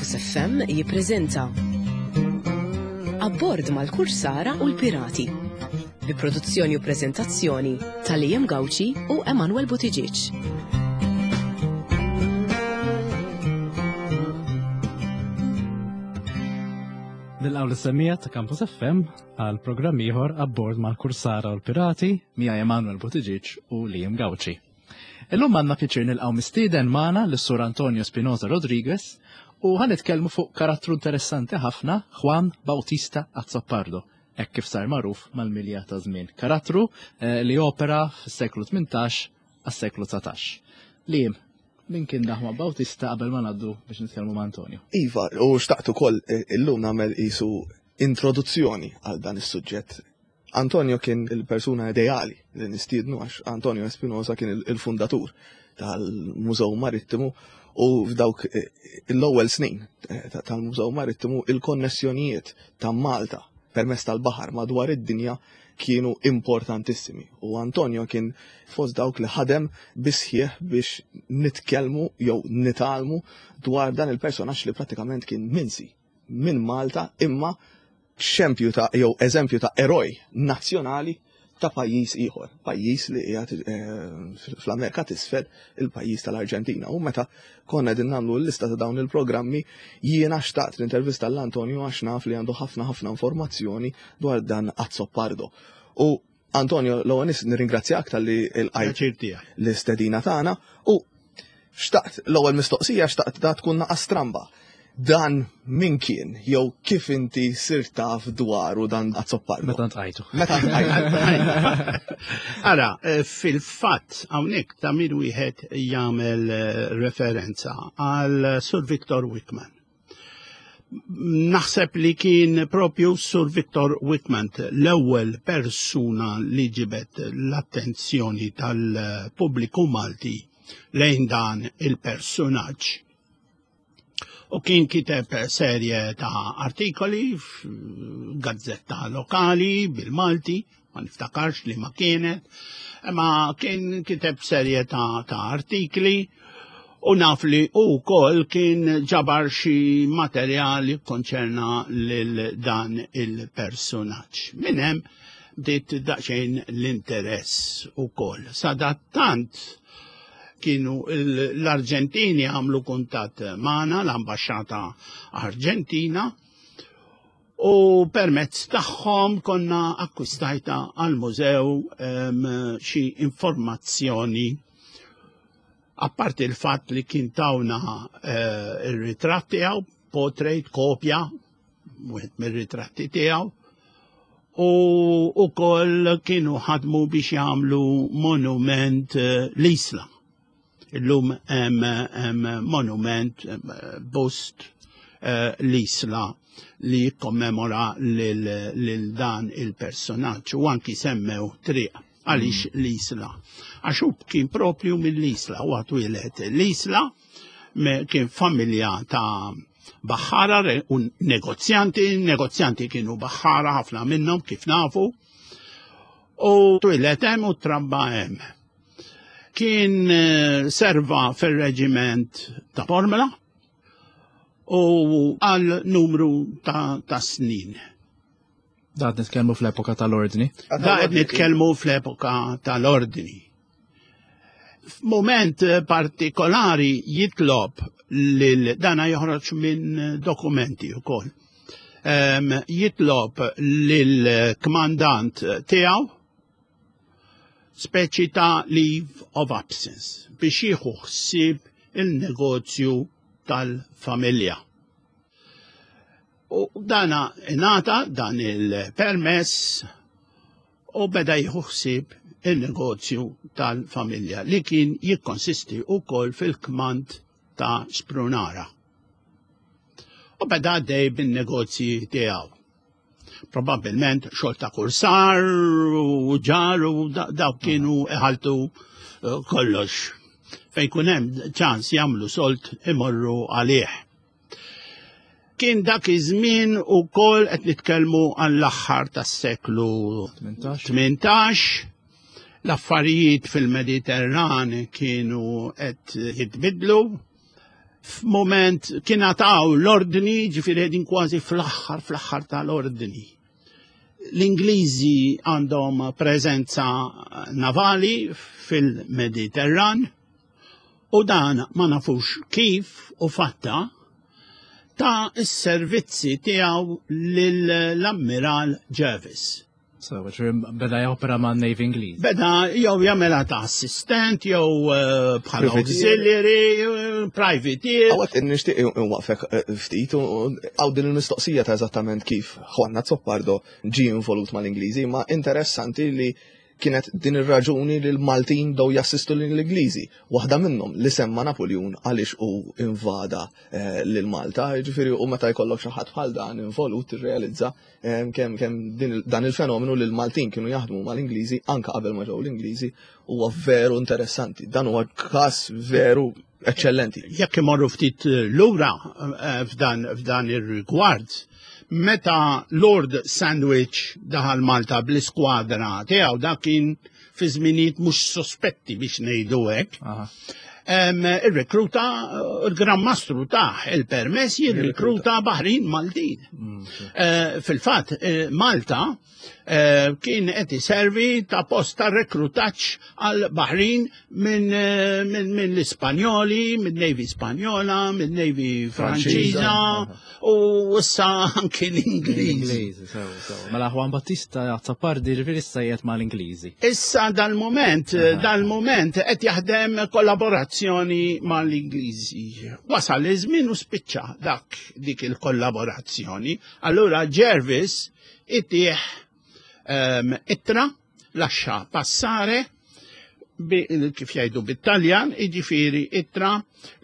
Campus FM jippreżenta Abbord mal-Kursara u l-Pirati bi produzzjoni u preżentazzjoni ta' Liam Gauci u Emanuel Buttigieg. Nilqgħu l-semmija ta' Campus FM għal programm ieħor abbord mal-Kursara u l-Pirati mija Emanuel Buttigieg u Liam Gauci. Illum għandna pjaċir nilqgħu mistieden magħna lis-Sur Antonio Spinoza Rodriguez u ħa nitkellmu fuq karattru interessanti ħafna Juan Bautista Azzopardo, hekk kif sar magħruf mal-milja ta' żmien. Karattru eh, li opera fis-seklu 18 għas-seklu 19. Lim, min kien daħma Bautista qabel ma ngħaddu biex nitkellmu ma' Antonio? Iva, u xtaqt ukoll eh, illum nagħmel isu introduzzjoni għal dan is-suġġett Antonio kien il-persuna ideali li nistiednu għax Antonio Espinosa kien il-fundatur tal-Mużew Marittimu u f'dawk eh, l-ewwel snin eh, tal-Mużew Marittimu il-konnessjonijiet ta' Malta permezz tal-baħar madwar id-dinja kienu importantissimi. U Antonio kien fost dawk li ħadem bisħieħ biex nitkellmu jew nitgħallmu dwar dan il-personaġġ li prattikament kien minsi minn Malta imma xempju ta' jew eżempju ta' eroj nazzjonali ta' pajjiż ieħor, pajjiż li qiegħed eh, fl-Amerika t'isfel, il-pajjiż tal-Arġentina. U meta konna qegħdin nagħmlu l-lista ta' dawn il-programmi, jiena xtaqt l-intervista l-Antonio għax naf li għandu ħafna ħafna informazzjoni dwar dan Azzopardo. U Antonio, l-ewwel nies nirringrazzjak talli l-qajt l-istedina tagħna u xtaqt l-ewwel mistoqsija xtaqt da tkun naqa' stramba. Dan min kien jew kif inti sirt taf dwaru dan Azzopardo? Meta ntqajtu. Meta ntqajtu. Ara, eh, fil-fatt hawnhekk ta' min wieħed jagħmel eh, referenza għal Sur Victor Wickman. Naħseb li kien propju Sur Victor Wickman l-ewwel persuna li ġibet l-attenzjoni tal-pubbliku Malti lejn dan il-personaġġ. U kien kiteb serje ta' artikoli f'gazzetta lokali bil-Malti, ma niftakarx li ma kienet, ma kien kiteb serje ta', ta artikli u naf li u kol kien ġabar xi materjali konċerna lil dan il-personaġġ. Minn hemm bdiet daqsxejn l-interess ukoll. Sadattant kienu l-Arġentini għamlu kuntatt magħna l-ambaxxata Arġentina u permezz tagħhom konna akkwistajta għal-mużew xi informazzjoni apparti il-fatt li kien tawna eh, ir-ritratt tiegħu, portrait, kopja, wieħed mir-ritratti tiegħu, u ukoll kienu ħadmu biex jagħmlu monument eh, l-Isla. Illum hemm monument eh, bust eh, l-Isla li jikkommemora lil dan il-personaġġ u anki semmew triq għaliex mm. l-Isla. Għax hu kien propju mill-Isla, u għatwilet l-Isla kien familja ta' baħħara u negozjanti, negozjanti kienu baħħara ħafna minnhom kif nafu, u twilet hemm u trabba hemm. Kien eh, serva fir-reġiment ta' Formula u għal numru ta', ta snin. Da qed nitkellmu fl-epoka tal-ordni. Da qed nitkellmu fl-epoka tal-ordni. F'mument partikolari jitlob lil dana joħroġ minn dokumenti wkoll. Um, jitlob lil kmandant tiegħu speċi ta' leave of absence biex jieħu ħsieb il-negozju tal-familja. U dana ingħata dan il-permess u beda jieħu ħsieb il-negozju tal-familja li kien jikkonsisti wkoll fil-kmand ta' Sprunara. U beda għaddej bin-negozji tiegħu. Probabbilment xogħol ta' kursar u ġar u dawk kienu iħaltu eh, kollox. Fejn kun hemm ċans jagħmlu solt imorru għalih. Kien dak iż-żmien ukoll qed nitkellmu għall-aħħar tas-seklu 18. L-affarijiet fil-Mediterran kienu qed jitbidlu. F'moment kien għataw l-ordni, ġifieri qegħdin kważi fl-aħħar fl-aħħar tal-ordni. L-Ingliżi għandhom preżenza navali fil-Mediterran u dan ma nafux kif u fatta ta' s-servizzi tiegħu lill-Ammiral Jervis. So, beda jopera ma' Navy Ingliż. Beda jew jagħmilha ta' assistent jew eh, bħala auxiliary, eh, privateer. Għawek nixtieq nwaqfek eh, ftit għaw din il-mistoqsija ta' eżattament kif Juan Azzopardo ġie involut mal-Ingliżi, ma interessanti li kienet din ir-raġuni li l-Maltin bdew jassistu lill-Ingliżi. Waħda minnhom li semma Napuljun għaliex hu invada eh, lil Malta, jiġifieri u meta jkollok xi ħadd bħal dan involut tirrealizza eh, kemm kemm dan il-fenomenu li l-Maltin kienu jaħdmu mal-Ingliżi anke qabel ma ġew l-Ingliżi huwa veru interessanti. Dan huwa każ veru eċċellenti. Jekk imorru ftit eh, lura eh, f'dan ir-rigward, meta Lord Sandwich daħal Malta bl-iskwadra tiegħu dak kien fi żminijiet mhux sospetti biex ngħidu hekk. Irrekruta eh, il-Gran Mastru taħ il-permess jirrekruta Baħrin Maltin. Mm, fil-fatt, Malta Eh, kien qed iservi ta' post ta' rekrutaġġ għal Baħrin minn eh, min, min l-Ispanjoli, minn Navy Spanjola, minn Navy Franċiża u issa anki l-Ingliżi. Mela Juan Battista Azzopardi ġifieri issa qiegħed mal-Ingliżi. Issa dal-moment, dal-moment qed jaħdem kollaborazzjoni mal-Ingliżi. Wasal iż-żmien u spiċċa dak dik il-kollaborazzjoni. Allura Jervis itih ehm, ittra laxxa passare kif jgħidu bit-Taljan, jiġifieri ittra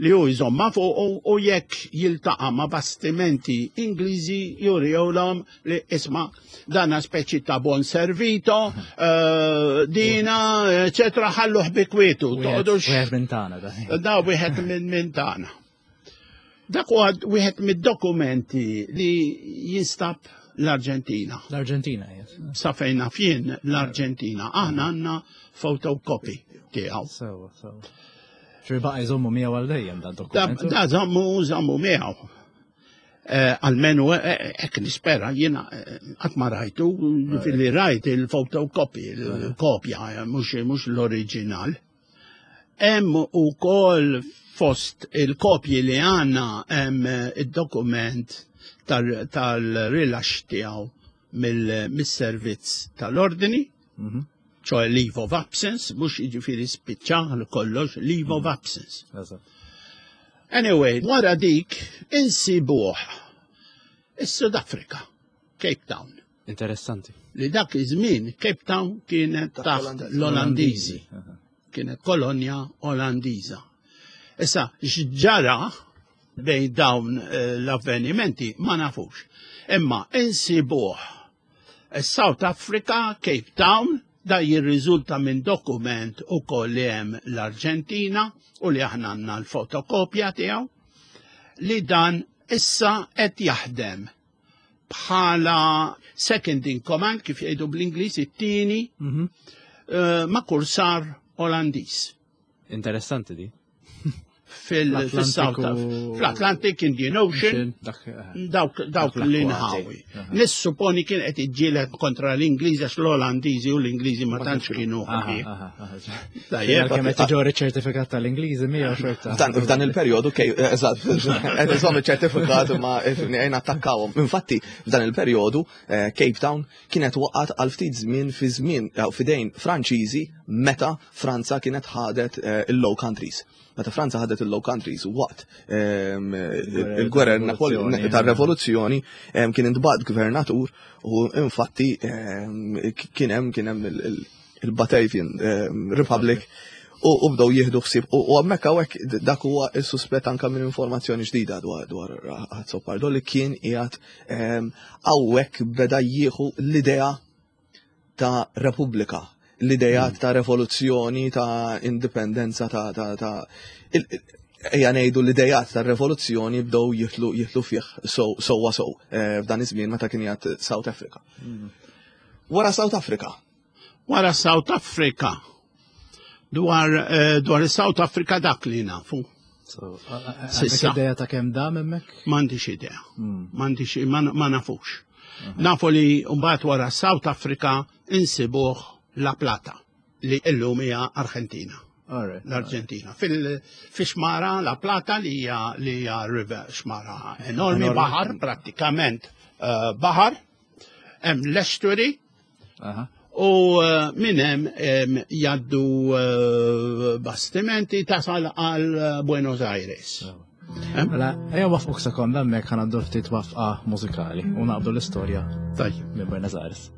li hu jżomma fuq u jekk jiltaqa' ma' bastimenti Ingliżi jurihom li isma' dana speċi ta' bon servito, eh, dina, eċetera, ħalluh bi kwietu. Wieħed minn tagħna. Da wieħed minn tagħna. Dak huwa wieħed mid-dokumenti li jinstab l-Arġentina. L-Arġentina, yes. Sa fejn naf jien l-Arġentina. Aħna għandna photocopy tiegħu. Sewa, sewa. Ġifieri baqa' jżommu miegħu għal dejjem dan dokument. Da żommu żommu miegħu. Eh, almenu eh, eh, hekk nispera jiena qatt ma rajtu fil-li rajt il-photocopy, il-kopja, mhux l-oriġinal. Hemm ukoll fost il-kopji li għandna hemm id-dokument tal-rilax tiegħu mill-servizz tal-ordni, mhm. ċoħe leave of absence, mux iġifiri spiċċa kollox, leave of mhm. absence. Anyway, wara dik insibuh is-Sud Afrika, Cape Town. Interessanti. Li dak iż-żmien Cape Town kienet taħt l-Olandiżi. Kienet kolonja Olandiża. Issa, x'ġara bejn dawn eh, l-avvenimenti ma nafux. Imma insibuh South Africa, Cape Town, da jirriżulta minn dokument ukoll li hemm l-Arġentina u li aħna għandna l-fotokopja tiegħu li dan issa qed jaħdem bħala second in command kif jgħidu bl-Ingliż it-tieni mm -hmm. ma' kursar Olandiż. Interessanti di. fil-South fl-Atlantic Indian Ocean, eh, dawk l-inħawi. Nissupponi kien qed iġġieled kontra l-Ingliżi għax l-Olandiżi u l-Ingliżi ma tantx kienu ħbieb. Tajjeb, kemm qed iġorri ċertifikat tal-Ingliżi miegħu xorta. F'dan il-perjodu kej eh, eżatt, qed iżomm iċ-ċertifikat ma jgħin attakkawhom. Infatti, f'dan il-perjodu eh, Cape Town kienet waqgħet għal ftit żmien fi żmien eh, f'idejn Franċiżi meta Franza kienet ħadet il-Low Countries. Meta Franza ħadet il-Low Countries waqt ehm, il-gwerer tar-revoluzzjoni ehm, kien intbagħat gvernatur u infatti ehm, kien hemm kien hemm il-Batavian Republic u bdew jieħdu ħsieb u hemmhekk hawnhekk dak huwa s-suspett anke minn informazzjoni ġdida dwar dwar Azzopardo li kien qiegħed hawnhekk beda jieħu l-idea ta' repubblika, l-idejat mm. ta' revoluzzjoni, ta' indipendenza, ta' ta' ta' ejja ngħidu l-idejat ta' revoluzzjoni bdew jitlu jitlu fih sewwa sew eh, f'dan iż-żmien meta kien jgħid South Africa. Mm. Wara South Africa. Wara South Africa. Dwar eh, dwar South Africa dak li nafu. Sissa. Idea ta' kemm dam hemmhekk? M'għandix idea. Hmm. M'għandix ma nafux. Nafu li mbagħad wara South Africa insibuh La Plata li illum hija Argentina. L-Arġentina. Fil-xmara La Plata li hija li hija river xmara enormi baħar prattikament eh, baħar hemm l-estuary u eh, minn hemm jgħaddu eh, bastimenti tasal għal Buenos Aires. Mela, ejja wafquk sekonda hemmhekk ħanaddu ftit wafqa mużikali u naqbdu l-istorja Tajjeb. minn Buenos Aires.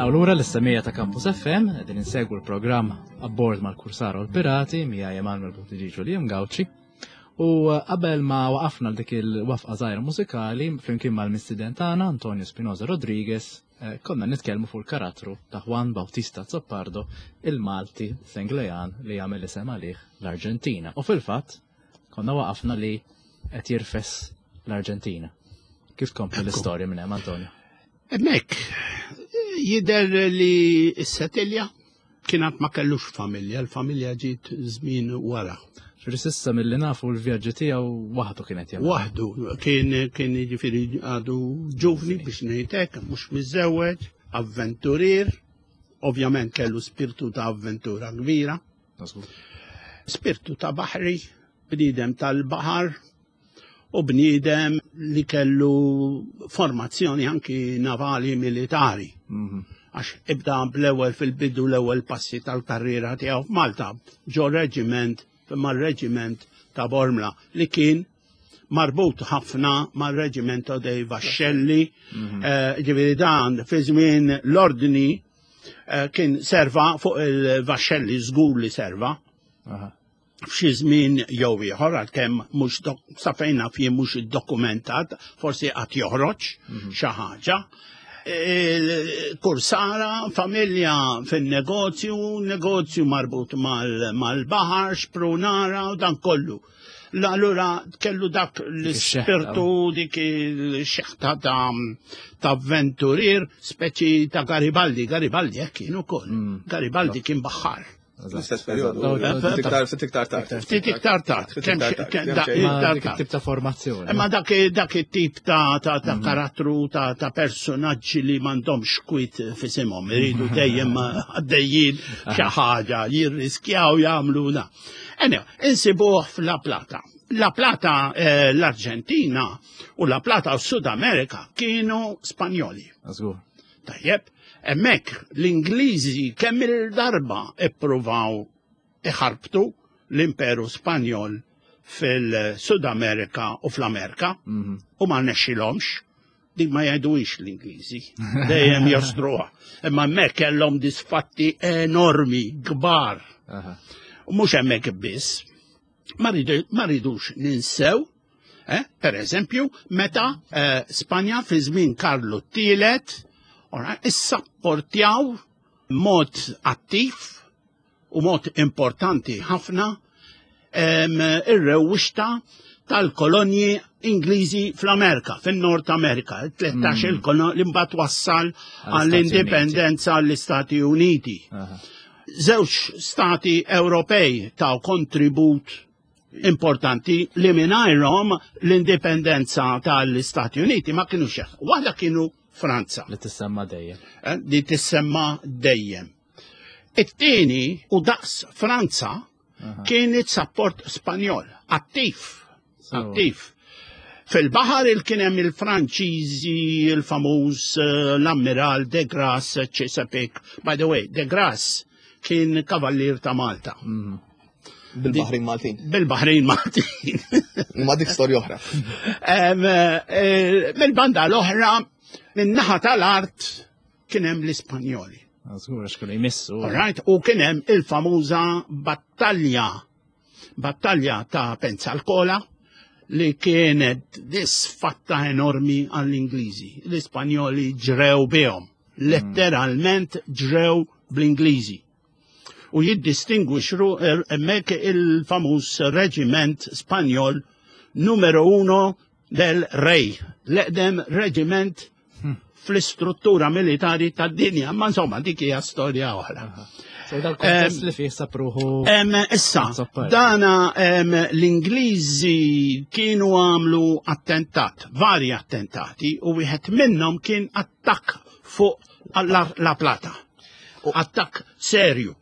Nilqgħu lura l-istemija ta' Campus FM, qegħdin insegwu l-programm abbord mal-Kursara u l-Pirati mija Emanuel Buttigieg u Liam Gauci. U eh, qabel ma waqafna dik il-wafqa żgħira mużikali flimkien mal-mistiden tagħna Antonio Spinoza Rodriguez, eh, konna nitkellmu fuq il-karattru ta' Juan Bautista Zoppardo, il-Malti Senglejan li jagħmel isem għalih l-Arġentina. U fil-fatt konna waqafna li qed jirfes l-Arġentina. Kif tkompli l-istorja minn hemm Antonio? Hemmhekk jidher li s-setilja kien ma kellux familja, l-familja ġiet żmien wara. Ġifieri s'issa milli nafu l-vjaġġi tiegħu waħdu kienet jagħmel. Waħdu kien kien jiġifieri għadu ġuvni biex ngħidlek, mhux miżżewweġ, avventurier, ovvjament kellu spirtu ta' avventura kbira. Spirtu ta' baħri, bniedem tal-baħar, u bniedem li kellu formazzjoni anki navali militari. Mhm. Għax ibda bl-ewwel fil-bidu l-ewwel passi tal-karriera tiegħu f'Malta ġo reġiment mar-reġiment ta' Bormla li kien marbut ħafna mar-reġimento dei Vascelli, mhm. eh, ġifieri dan fi żmien l-ordni eh, kien serva fuq il-Vascelli żgur li serva. F'xi żmien jew ieħor għalkemm mhux sa fejn naf jien mhux iddokumentat, forsi qatt joħroġ mhm. xi ħaġa. Kursara, familja fin-negozju, negozju marbut mal-baħar, xprunara u dan kollu. Allura kellu dak l-ispirtu dik il-xeħta ta' avventurier, speċi ta' Garibaldi. Garibaldi hekk kien ukoll. Mm. Garibaldi kien baħħar. L-istess periodu. Ftit iktar tard. Ftit iktar tard. Dik tip ta' formazzjoni. Imma dak it-tip ta' mhm. karattru ta' personaġġi li m'għandhomx kwit fisimhom, iridu dejjem għaddejjin xi ħaġa, jirriskjaw jagħmlu na. Anyway, insibuh f'La Plata. La Plata eh, l-Arġentina u La Plata u Sud Amerika kienu Spanjoli. Tajjeb, hemmhekk l-Ingliżi kemm il-darba ippruvaw iħarbtu l-Imperu Spanjol fil-Sud Amerika u fl-Amerika mhm. u ma rnexxilhomx. Dik ma jgħiduhiex l-Ingliżi, dejjem jostruha. Imma hemmhekk kellhom disfatti enormi, kbar. U mhux hemmhekk biss. Ma rridux ninsew Eh? Per eżempju, meta eh, Spanja fi żmien Karlu t-tielet issapportjaw mod attiv u mod importanti ħafna ir-rewwixta tal-kolonji Ingliżi fl-Amerika, fin-Nord Amerika, 13 mm. il-kolonja li mbagħad wassal għall-indipendenza għall-Istati Uniti. Żewġ stati Ewropej taw kontribut importanti li mingħajrhom l-indipendenza tal-Istati Uniti ma kienu xeħ. Waħda kienu Franza. Li tissemma dejjem. Eh, li tissemma dejjem. It-tieni u daqs Franza kienet support Spanjol, attiv, attiv. Fil-baħar il kien hemm il-Franċiżi, il-famuż eh, l-Ammiral de Grasse Chesapeake. By the way, de Grasse kien kavallier ta' Malta. Mm. Bil-Baħrin Maltin. Bil-Baħrin Maltin. Ma dik storja oħra. Eh, mill-banda l-oħra, min-naħa tal-art kien hemm l-Ispanjoli. Żgur għax kienu jmissu. Right, u kien hemm il-famuża battalja, battalja ta' Pensalcola. li kienet disfatta enormi għall-Ingliżi. L-Ispanjoli ġrew bihom, letteralment ġrew bl-Ingliżi. U jiddistingwixru er, hemmhekk il-famuż reġiment Spanjol numero uno del Rey, l-eqdem reġiment fl-istruttura militari tad-dinja, ma insomma dik hija storja oħra. So dal-kontest li fih sapruħu. Issa, dana l-Ingliżi kienu għamlu attentat, vari attentati, u wieħed minnhom kien attakk fuq La Plata. Attakk serju.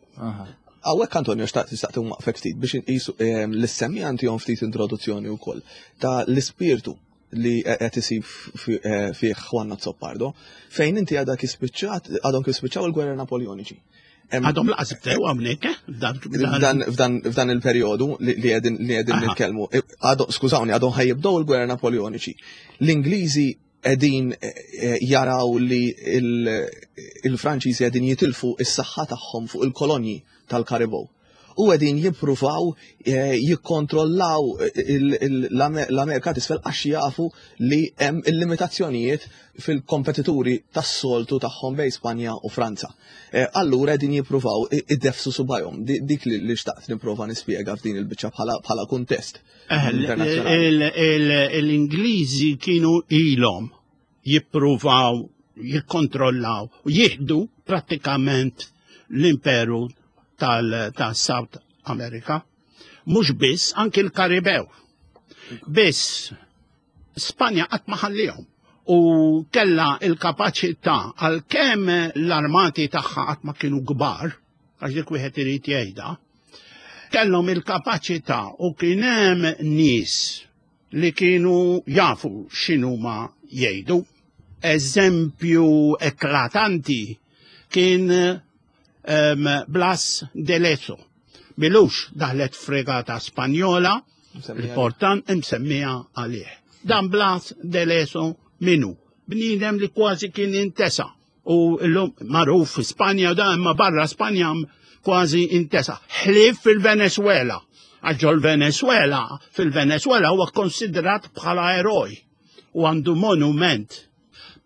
Għawek Antonio xtaqt nistaqti waqfek ftit biex nqisu l-semmi għandihom ftit introduzzjoni wkoll ta' l-ispirtu li qed isib eh, fih Juan Azzopardo, fejn inti għadha kif spiċċat, għadhom kif spiċċaw il-gwerra Napoleoniċi. Għadhom laqas bdew hawnhekk, eh? F'dan il-perjodu li qegħdin li qegħdin nitkellmu, eh, skużawni, għadhom ħajjibdew il-gwerra Napoleoniċi. L-Ingliżi qegħdin jaraw li il-Franċiżi qegħdin jitilfu is-saħħa tagħhom fuq il-kolonji tal-Karibow. U qegħdin jippruvaw eh, jikkontrollaw l-Amerika t'isfel għax jafu li hemm il-limitazzjonijiet fil-kompetituri tas-soltu tagħhom bejn Spanja u Franza. Eh, allura qegħdin jippruvaw idefsu subajhom. Dik li xtaqt nipprova nispjega f'din il-biċċa bħala kuntest. Eh, l-Ingliżi kienu ilhom jippruvaw jikkontrollaw u jieħdu prattikament l-imperu tal-South America. Mhux biss, anki l-Karibew. Biss Spanja qatt ma ħallihom u kella il-kapaċità għalkemm l-armati tagħha qatt ma kienu kbar, għax dik wieħed irid jgħidha, kellhom il-kapaċità u kien hemm nies li kienu jafu x'inhuma jgħidu. Eżempju eklatanti kien um, Blas de Lezo. Milux daħlet fregata Spanjola, il-portan imsemmija għalih. Dan Blas de Lezo minu, bniedem li kważi kien intesa u l-lum magħruf fi Spanja da imma barra Spanja kważi intesa. Ħlief fil-Venezuela. Għax ġol-Venezuela, fil-Venezuela huwa konsidrat bħala eroj u għandu monument.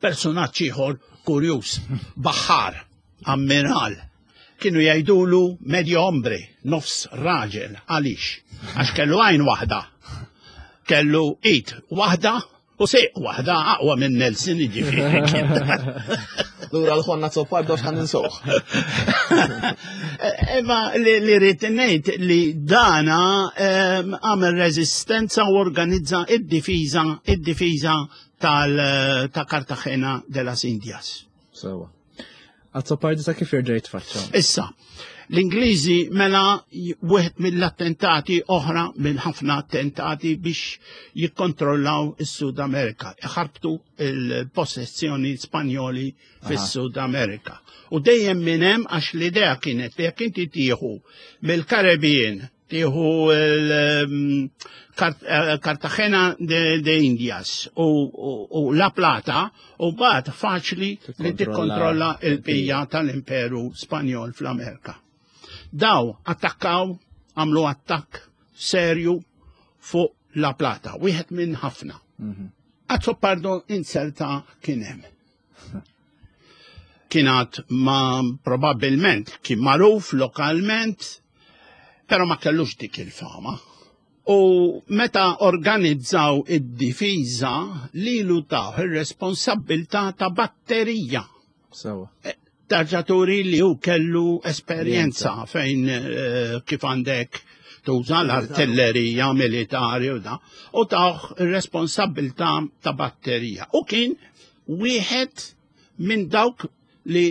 Personaġġ ieħor kurjuż, baħar, ammiral, kienu jgħidulu medio hombre, nofs raġel, għaliex? Għax kellu għajn waħda, kellu id waħda U sejq waħda aqwa minn Nelson ġifieri. Lura l-ħonna Azzopardo x'ħan ninsoħ. Imma li rrid ngħid li dana ehm, għamel reżistenza u organizza id-difiża id-difiża tal ta' Cartagena de las Indias. Sewa. Azzopardi sa kif jerġa' jitfaċċa. Issa, l-Ingliżi mela wieħed mill-attentati oħra minn ħafna attentati biex jikkontrollaw is-Sud Amerika, iħarbtu il-possessjoni Spanjoli fis-Sud Amerika. U dejjem minn hemm għax l-idea kienet li jekk inti tieħu mill-Karibien tieħu l-Cartagena ehm, eh, de Indias u La Plata u bat faċli li tikkontrolla il-bija tal-Imperu Spanjol fl-Amerika. Daw attakkaw, għamlu attakk serju fuq La Plata, wieħed minn ħafna. Mhm. Azzopardo inserta kien hemm. Kien għad ma probabbilment kien magħruf lokalment, però ma kellux dik il-fama. U meta organizzaw id-difiża lilu taw ir-responsabbiltà ta' batterija. Sewa. E, tarġa turi li hu kellu esperjenza fejn eh, kif għandek tuża l-artillerija militari u da, u tawh ir-responsabbiltà ta' batterija. U kien wieħed minn dawk li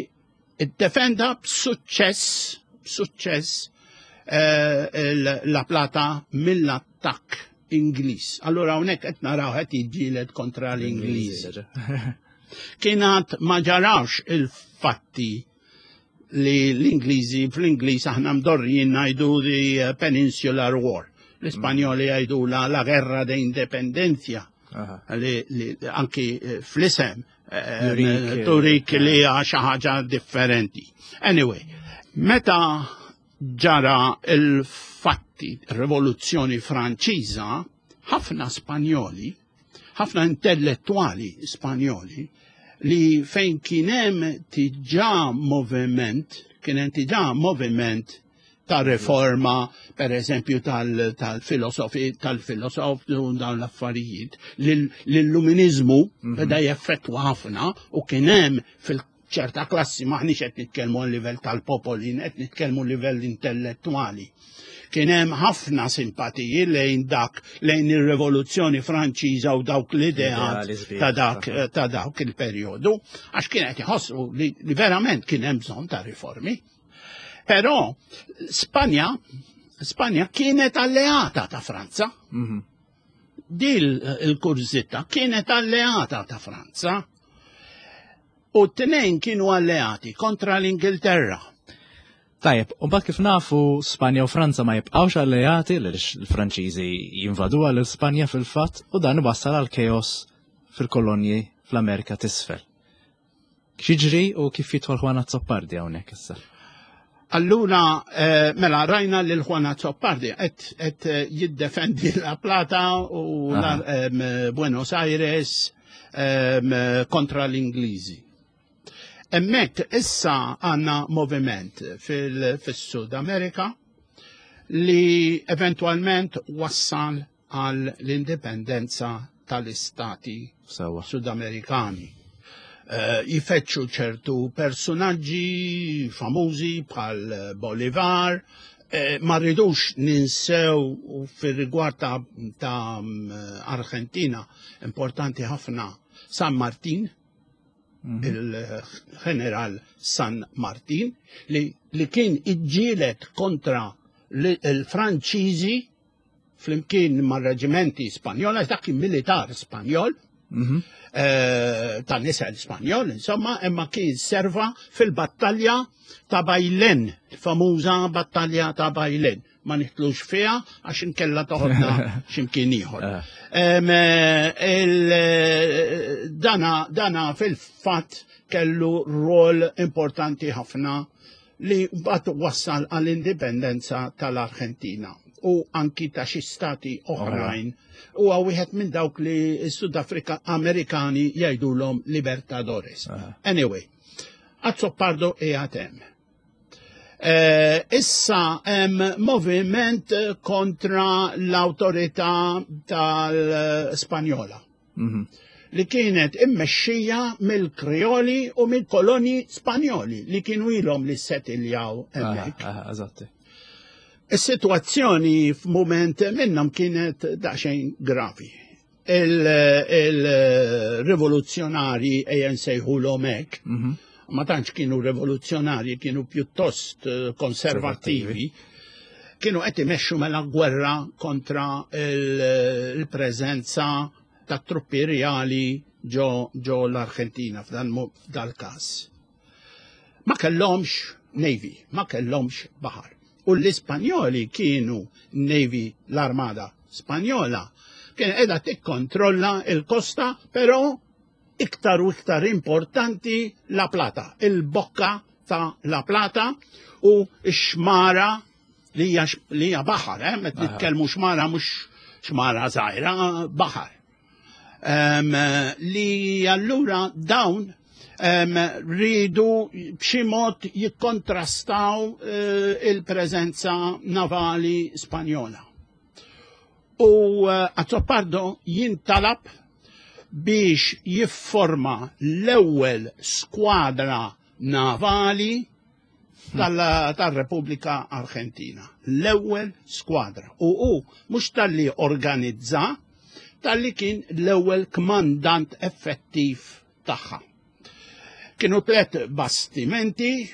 ddefenda b'suċċess b'suċċess eh, La Plata mill-attakk Ingliż. Allura hawnhekk qed naraw qed jiġġieled kontra l-Ingliż. Kien ma ġarax il-fatti li l-Ingliżi fl-Ingliż aħna mdorrijin ngħidu the Peninsular War. L-Ispanjoli jgħidu la la guerra de independencia. Li, li anki eh, fl-isem eh, eh, turik li hija xi ħaġa differenti. Anyway, meta ġara il-fatti rivoluzzjoni Franċiża, ħafna Spanjoli, ħafna intellettwali Spanjoli li fejn kien hemm tiġà moviment, kien hemm tiġà moviment ta' riforma, per eżempju, tal-filosofi, tal-filosof, dawn l-affarijiet, l-illuminizmu mhm. beda jeffettwa ħafna u kien hemm fil ċerta klassi maħniex qed nitkellmu għal livell tal-popoli, qed nitkellmu livell intellettwali. Kien hemm ħafna simpatiji lejn dak lejn ir-Rivoluzzjoni Franċiża u dawk l-ideat ta' dak ta' dawk il-perjodu, għax kien qed iħossu li, li verament kien hemm bżonn ta' riformi. Però Spanja Spanja kienet alleata ta' Franza. Mm -hmm. Dil il-kurżitta kienet alleata ta' Franza. U t-tnejn kienu alleati kontra l-Ingilterra. Tajjeb, u mbagħad kif nafu Spanja u Franza ma jibqgħux alleati għaliex il-Franċiżi jinvaduha lil Spanja fil-fatt u dan iwassal għal chaos fil-kolonji fl-Amerika t'isfel. X'jiġri u kif jidħol Juan Azzopardi hawnhekk issa? Allura, eh, mela, rajna lil Juan Azzopardi qed eh, jiddefendi La Plata u Buenos Aires kontra l-Ingliżi. Emmek issa għanna moviment fil-Sud Amerika li eventualment wassal għal l-indipendenza tal-istati Sudamerikani. Eh, jifetxu ċertu personaġġi famużi bħal Bolivar, eh, ma rridux ninsew fir-rigward ta', ta mm, Argentina importanti ħafna San Martin, mhm. il-ġeneral San Martin, li, li kien iġġielet kontra l-Franċiżi flimkien mar-reġimenti Spanjol, għax dak kien militar Spanjol, mhm. eh, ta' nisel Spanjol, insomma, imma kien serva fil-battalja ta' Bajlen, famuża battalja ta' Bajlen. Ma nitlux fiha għax inkella toħodna x'imkien ieħor. Eh. Eh, dana, dana fil-fatt kellu rol importanti ħafna li mbagħad wassal għall-indipendenza tal-Arġentina u anki ta' xi stati oħrajn. Huwa wieħed minn dawk li s-Sud Afrika Amerikani jgħidulhom Libertadores. Anyway, Azzopardo qiegħed hemm. Eh, issa hemm moviment kontra l-awtorità tal-Spanjola. Mhm. Li kienet immexxija mill-Krioli u mill-koloni Spanjoli li kienu ilhom li settiljaw hemmhekk. Eżatti. Is-sitwazzjoni f'mument minnhom kienet daqsxejn gravi. Il-rivoluzzjonari ejja nsejħulhom hekk, mhm. ma tantx kienu rivoluzzjonari, kienu pjuttost eh, konservattivi, kienu qed imexxu mela gwerra kontra il-preżenza ta' truppi reali ġo, ġo l-Argentina f'dan dal-każ. Ma kellhomx navy, ma kellhomx baħar. U l-Ispanjoli kienu navy l-armada Spanjola kien qiegħda tikkontrolla il-kosta, però iktar u iktar importanti La Plata, il-bokka ta' La Plata u x-xmara li hija baħar, eh, meta nitkellmu xmara mhux xmara żgħira, baħar. Um, li allura dawn um, ridu b'xi mod jikkontrastaw uh, il-preżenza navali Spanjola. U eh, Azzopardo jintalab biex jifforma l-ewwel skwadra navali tal-Repubblika Argentina. L-ewwel skwadra. U hu mhux talli organizza, talli kien l-ewwel kmandant effettiv tagħha. Kienu tlet bastimenti,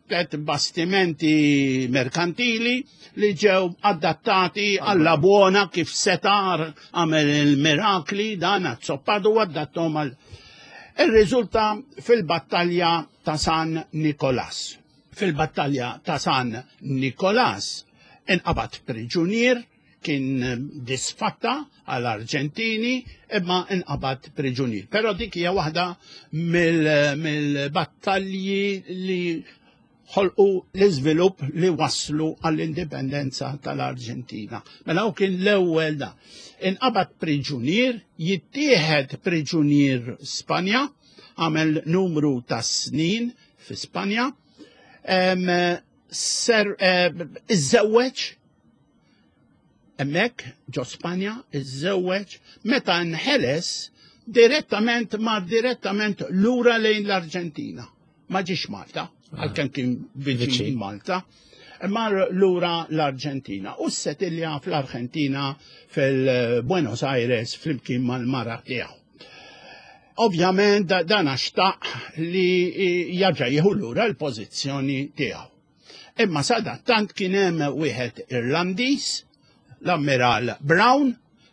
tlet bastimenti merkantili li ġew adattati għalla buona kif setar għamel il-mirakli dan azzoppadu adattom għal. Ir-riżulta fil-battalja ta' San Nikolas. Fil-battalja ta' San Nikolas inqabad priġunier kien disfatta għal Arġentini imma inqabad priġunier. Però dik hija waħda mill-battalji li ħolqu l-iżvilupp li waslu għall-indipendenza tal-Arġentina. Mela hu kien l-ewwel da. Inqabad priġunier, jittieħed priġunier Spanja, għamel numru ta' snin fi Spanja, ser iżżewweġ hemmhekk ġo Spanja, iżżewweġ, meta nħeles direttament mar direttament lura lejn l-Arġentina. Ma ġiex Malta, ah. għalkemm kien viċin Malta, mar lura l-Arġentina u settilja fl-Arġentina fil-Buenos Aires flimkien mal-mara tiegħu. Ovvjament dan xtaq li jarġa' jieħu lura l-pożizzjoni tiegħu. Imma sadattant kien hemm wieħed Irlandiż, l-Ammiral Brown,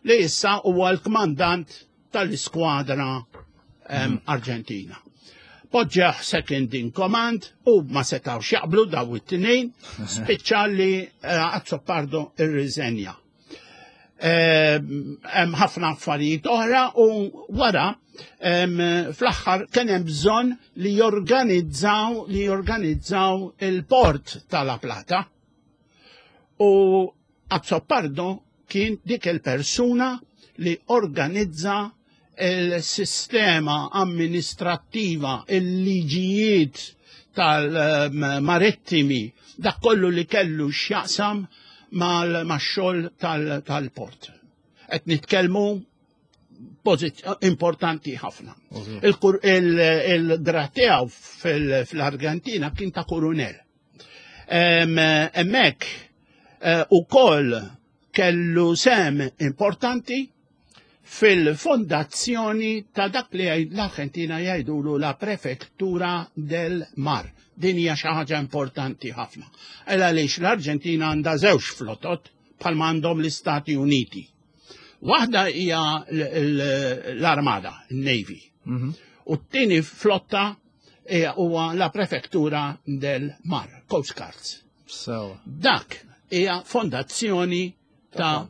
li issa huwa l-kmandant tal-iskwadra mhm. Arġentina. Poġġeħ second in command u ma setawx jaqblu daw it-tnejn, spiċċa li eh, Azzopardo irriżenja. Hemm ħafna affarijiet oħra u wara fl-aħħar kien hemm bżonn li jorganizzaw li jorganizzaw il-port tal-La Plata. U Azzopardo kien dik il-persuna li organizza il-sistema amministrattiva, il-liġijiet tal-marittimi, dak kollu li kellu x'jaqsam mal-xogħol tal-port. Qed nitkellmu importanti ħafna. Il-grad tiegħu fl-Argentina kien ta' kurunel. Hemmhekk eh, ukoll kellu sem importanti fil-fondazzjoni ta' dak li l-Argentina jgħidulu la Prefettura del Mar. Din hija xi ħaġa importanti ħafna. Ela għaliex l-Arġentina għandha żewġ flotot bħalma għandhom l-Istati Uniti. Waħda hija l-Armada, il-Navy. Mhm. U t-tieni flotta huwa la Prefettura del Mar, Coast Guards. So. Dak hija fondazzjoni ta'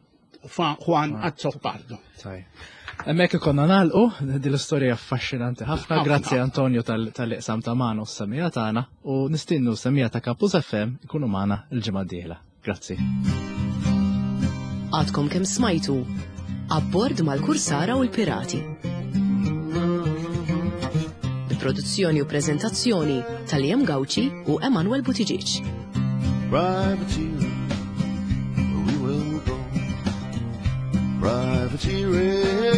Juan ah. Azzopardo. Hemmhekk ikonna nagħlqu din l-istorja affaxxinanti ħafna. Grazzi Antonio tal-iqsam ta' magħna u s-semija tagħna u nistinnu semija ta' Campus FM ikunu magħna l-ġimgħa d-dieħla. Grazzi. Għadkom kemm smajtu Abbord mal-Kursara u l-Pirati. Bi produzzjoni u preżentazzjoni ta' Liam Gauci u Emanuel Buttigieg. Privateer, we will go. Privateering.